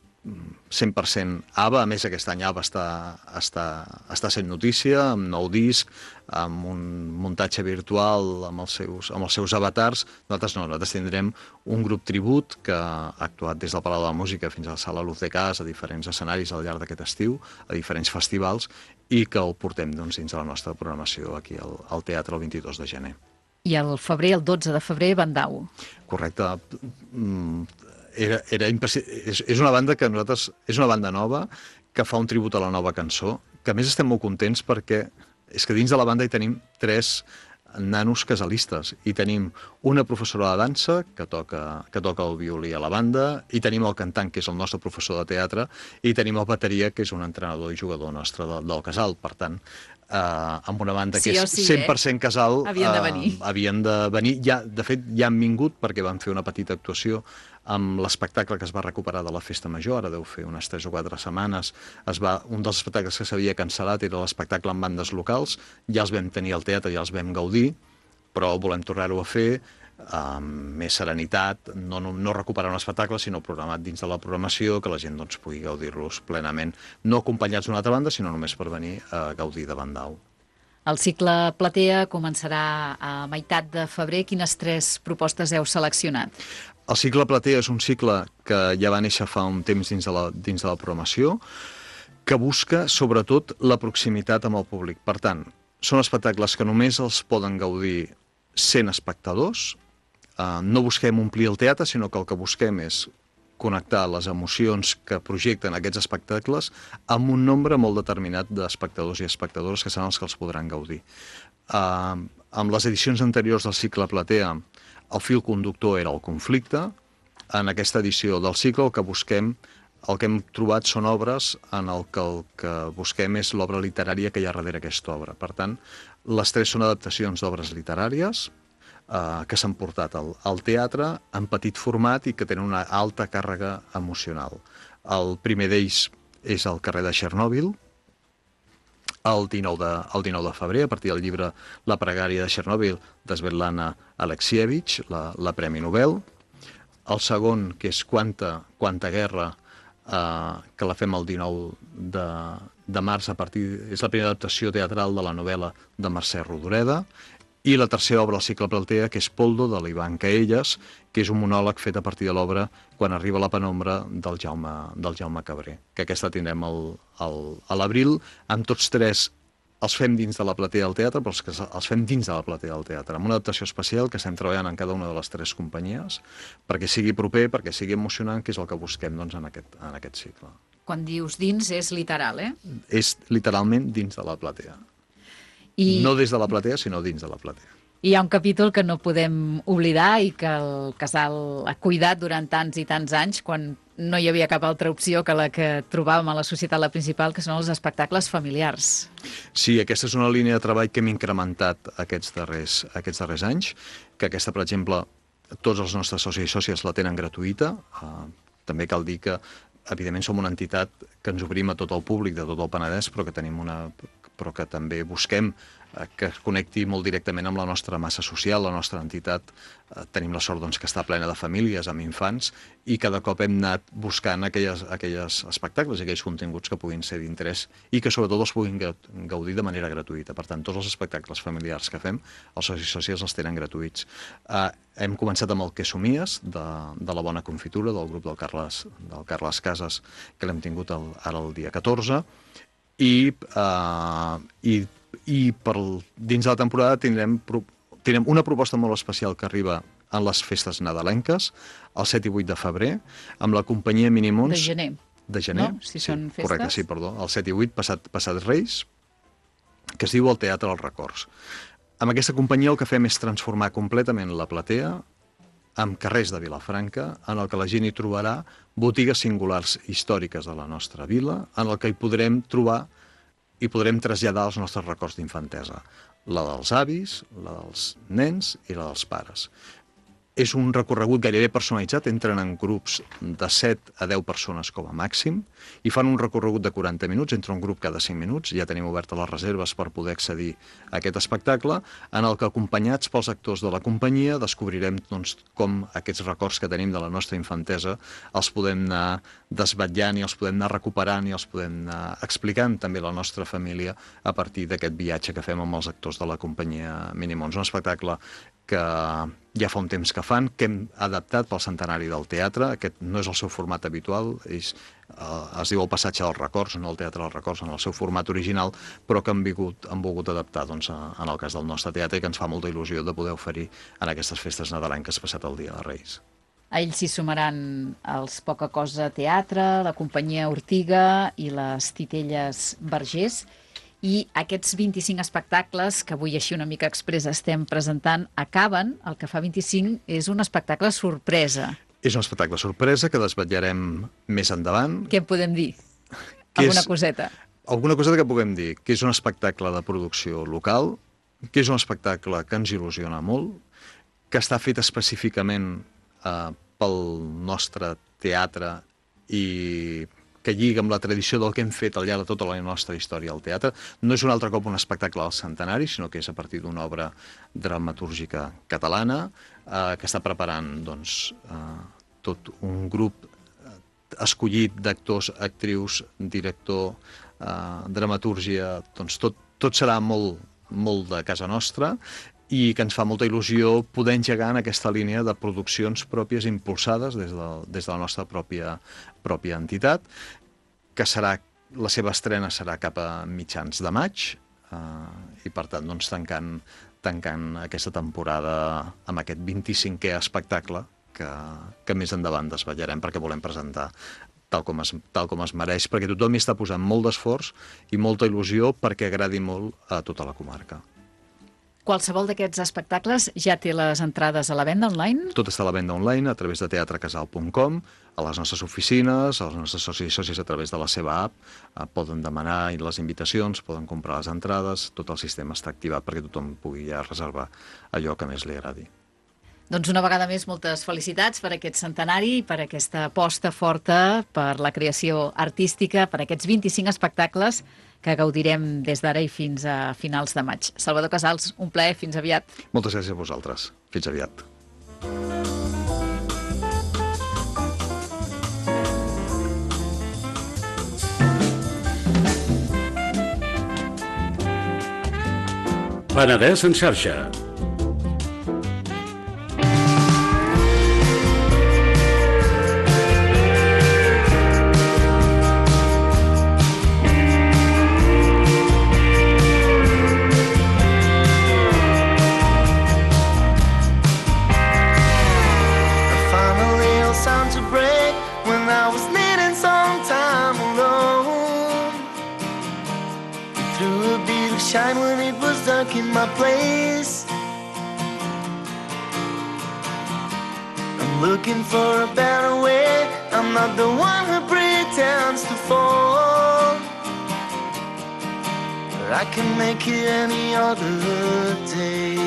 cent per cent ABBA. A més, aquest any ABBA està, està, està sent notícia, amb nou disc, amb un muntatge virtual, amb els seus, amb els seus avatars. Nosaltres no, nosaltres tindrem un grup tribut que ha actuat des del Palau de la Música fins a la Sala Luz de Cas, a diferents escenaris al llarg d'aquest estiu, a diferents festivals, i que el portem doncs, dins de la nostra programació aquí al, al teatre el vint-i-dos de gener. I el febrer, el dotze de febrer, Bandau. Correcte. Era, era és, és una banda que nosaltres... És una banda nova que fa un tribut a la nova cançó, que a més estem molt contents perquè és que dins de la banda hi tenim tres nanos casalistes. I tenim una professora de dansa que toca, que toca el violí a la banda, i tenim el cantant, que és el nostre professor de teatre, i tenim el bateria, que és un entrenador i jugador nostre del, del casal. Per tant, eh, amb una banda que sí és sí, cent per cent eh? casal, havien de venir. Eh, havien de venir. Ja, de fet, ja han vingut perquè van fer una petita actuació amb l'espectacle que es va recuperar de la Festa Major, ara deu fer unes tres o quatre setmanes. Es va, un dels espectacles que s'havia cancel·lat era l'espectacle amb bandes locals, ja els vam tenir al teatre, ja els vam gaudir, però volem tornar-ho a fer amb més serenitat, no, no, no recuperar un espectacle, sinó programat dins de la programació, que la gent doncs, pugui gaudir-los plenament, no acompanyats d'una altra banda, sinó només per venir a gaudir de Bandau. El cicle Platea començarà a meitat de febrer. Quines tres propostes heu seleccionat? El cicle Platea és un cicle que ja va néixer fa un temps dins de la, dins de la programació, que busca sobretot la proximitat amb el públic. Per tant, són espectacles que només els poden gaudir cent espectadors. Uh, no busquem omplir el teatre, sinó que el que busquem és connectar les emocions que projecten aquests espectacles amb un nombre molt determinat d'espectadors i espectadores que seran els que els podran gaudir. Uh, amb les edicions anteriors del cicle Platea, el fil conductor era el conflicte. En aquesta edició del cicle el que busquem, el que hem trobat són obres en el que el que busquem és l'obra literària que hi ha darrere aquesta obra. Per tant, les tres són adaptacions d'obres literàries eh, que s'han portat al, al teatre en petit format i que tenen una alta càrrega emocional. El primer d'ells és el carrer de Chernobyl, el dinou de, el dinou de febrer, a partir del llibre La pregària de Chernobyl, de Svetlana Alexievich, la, la Premi Nobel. El segon, que és Quanta, Quanta guerra, eh, que la fem el dinou de, de març, a partir, és la primera adaptació teatral de la novel·la de Mercè Rodoreda. I la tercera obra al cicle Platea, que és Poldo, de l'Ivan Caelles, que és un monòleg fet a partir de l'obra Quan arriba la penombra, del Jaume, del Jaume Cabré, que aquesta tindrem el, el, a l'abril. Amb tots tres els fem dins de la platea del teatre, però els, que els fem dins de la platea del teatre, amb una adaptació especial que estem treballant en cada una de les tres companyies, perquè sigui proper, perquè sigui emocionant, que és el que busquem doncs, en, aquest, en aquest cicle. Quan dius dins és literal, eh? És literalment dins de la platea. I... No des de la platea, sinó dins de la platea. I hi ha un capítol que no podem oblidar i que el casal ha cuidat durant tants i tants anys, quan no hi havia cap altra opció que la que trobàvem a la societat, la principal, que són els espectacles familiars. Sí, aquesta és una línia de treball que hem incrementat aquests darrers, aquests darrers anys, que aquesta, per exemple, tots els nostres socis i sòcies la tenen gratuïta. Uh, també cal dir que, evidentment, som una entitat que ens obrim a tot el públic de tot el Penedès, però que tenim una... però que també busquem que es connecti molt directament amb la nostra massa social, la nostra entitat. Tenim la sort doncs, que està plena de famílies, amb infants, i cada cop hem anat buscant aquelles, aquelles espectacles i aquells continguts que puguin ser d'interès i que sobretot els puguin gaudir de manera gratuïta. Per tant, tots els espectacles familiars que fem, els socis i sòcies els tenen gratuïts. Uh, hem començat amb el Que somies, de, de la Bona Confitura, del grup del Carles, del Carles Casas, que l'hem tingut el, ara el dia catorze, i, uh, i, i per, dins de la temporada tindrem, tindrem una proposta molt especial que arriba en les festes nadalenques, el set i vuit de febrer, amb la companyia Minimons... De gener. De gener, no? Si sí, són festes. Correcte, sí, perdó. El set i vuit, passat, passat Reis, que es diu el Teatre als Records. Amb aquesta companyia el que fem és transformar completament la platea amb carrers de Vilafranca, en el que la gent hi trobarà botigues singulars històriques de la nostra vila, en el que hi podrem trobar i podrem traslladar els nostres records d'infantesa. La dels avis, la dels nens i la dels pares. És un recorregut gairebé personalitzat, entren en grups de set a deu persones com a màxim i fan un recorregut de quaranta minuts, entra un grup cada cinc minuts, ja tenim obertes les reserves per poder accedir a aquest espectacle, en el que acompanyats pels actors de la companyia descobrirem doncs, com aquests records que tenim de la nostra infantesa els podem anar desvetllant i els podem anar recuperant i els podem anar explicant també a la nostra família a partir d'aquest viatge que fem amb els actors de la companyia Minimons. Un espectacle que ja fa un temps que fan, que hem adaptat pel centenari del teatre. Aquest no és el seu format habitual, és, eh, es diu el Passatge dels Records, no el Teatre dels Records, en el seu format original, però que han, vingut, han volgut adaptar doncs, a, en el cas del nostre teatre i que ens fa molta il·lusió de poder oferir en aquestes festes nadalenques passat el Dia de Reis. A ells s'hi sumaran els Poca Cosa Teatre, la companyia Ortiga i les Titelles Vergés. I aquests vint-i-cinc espectacles, que avui així una mica express estem presentant, acaben, el que fa vint-i-cinc és un espectacle sorpresa. És un espectacle sorpresa que desvetllarem més endavant. Què en podem dir? Alguna és, coseta? Alguna coseta que puguem dir, que és un espectacle de producció local, que és un espectacle que ens il·lusiona molt, que està fet específicament eh, pel nostre teatre i que lliga amb la tradició del que hem fet al llarg de tota la nostra història al teatre. No és un altre cop un espectacle al centenari, sinó que és a partir d'una obra dramatúrgica catalana eh, que està preparant doncs, eh, tot un grup escollit d'actors, actrius, director, eh, dramatúrgia, doncs tot, tot serà molt, molt de casa nostra i que ens fa molta il·lusió poder engegar en aquesta línia de produccions pròpies impulsades des de, des de la nostra pròpia, pròpia entitat, que serà, la seva estrena serà cap a mitjans de maig eh, i per tant doncs, tancant, tancant aquesta temporada amb aquest vint-i-cinquè espectacle que, que més endavant desvetllarem perquè volem presentar tal com es, tal com es mereix, perquè tothom hi està posant molt d'esforç i molta il·lusió perquè agradi molt a tota la comarca. Qualsevol d'aquests espectacles ja té les entrades a la venda online? Tot està a la venda online a través de teatrecasal punt com, a les nostres oficines, als nostres socis i sòcies a través de la seva app, eh, poden demanar les invitacions, poden comprar les entrades, tot el sistema està activat perquè tothom pugui ja reservar allò que més li agradi. Doncs una vegada més, moltes felicitats per aquest centenari i per aquesta aposta forta per la creació artística, per aquests vint-i-cinc espectacles que gaudirem des d'ara i fins a finals de maig. Salvador Casals, un plaer, fins aviat. Moltes gràcies a vosaltres. Fins aviat. Penedès en xarxa. Shine when it was dark in my place. I'm looking for a better way. I'm not the one who pretends to fall, but I can make it any other day.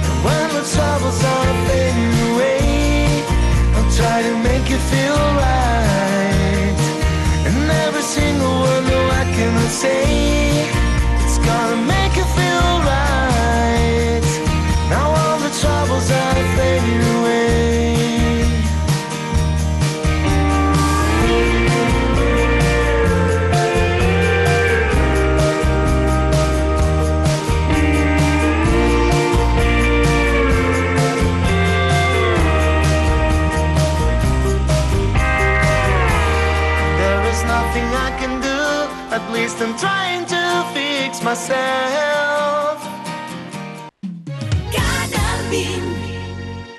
And when the troubles are fading away, I'll try to make you feel right. And every single word no I cannot say, it's gonna make you feel right. Now all the troubles are fading away. At least I'm trying to fix myself. Gotta be